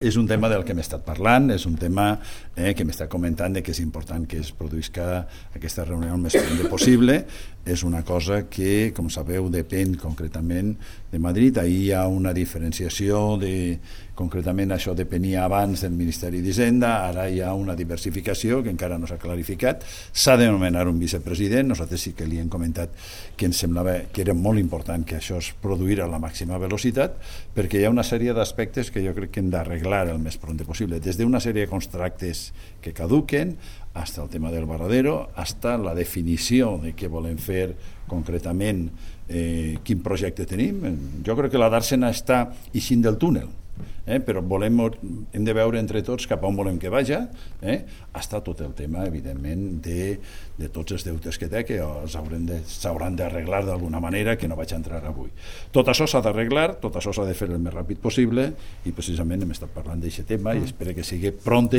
És un tema del que hem estat parlant, és un tema que m'està comentant que és important que es produïsca aquesta reunió el més prompte possible. És una cosa que, com sabeu, depèn concretament de Madrid. Ahir hi ha una diferenciació concretament això depenia abans del Ministeri d'Hisenda, ara hi ha una diversificació que encara no s'ha clarificat. S'ha de nomenar un vicepresident. Nosaltres sí que li hem comentat que ens semblava que era molt important que això es produïra a la màxima velocitat, perquè hi ha una sèrie d'aspectes que jo crec que hem d'arreglar el més prompte possible, des d'una sèrie de contractes que caduquen hasta el tema del Varadero, hasta la definició de què volem fer concretament, quin projecte tenim. Jo crec que la Dàrsena està eixint del túnel, però hem de veure entre tots cap a on volem que vagi. Està tot el tema, evidentment, de tots els deutes que té, que s'hauran d'arreglar d'alguna manera, que no vaig entrar avui. Tot això s'ha d'arreglar, tot això s'ha de fer el més ràpid possible, i precisament hem estat parlant d'aquest tema i espero que sigui pront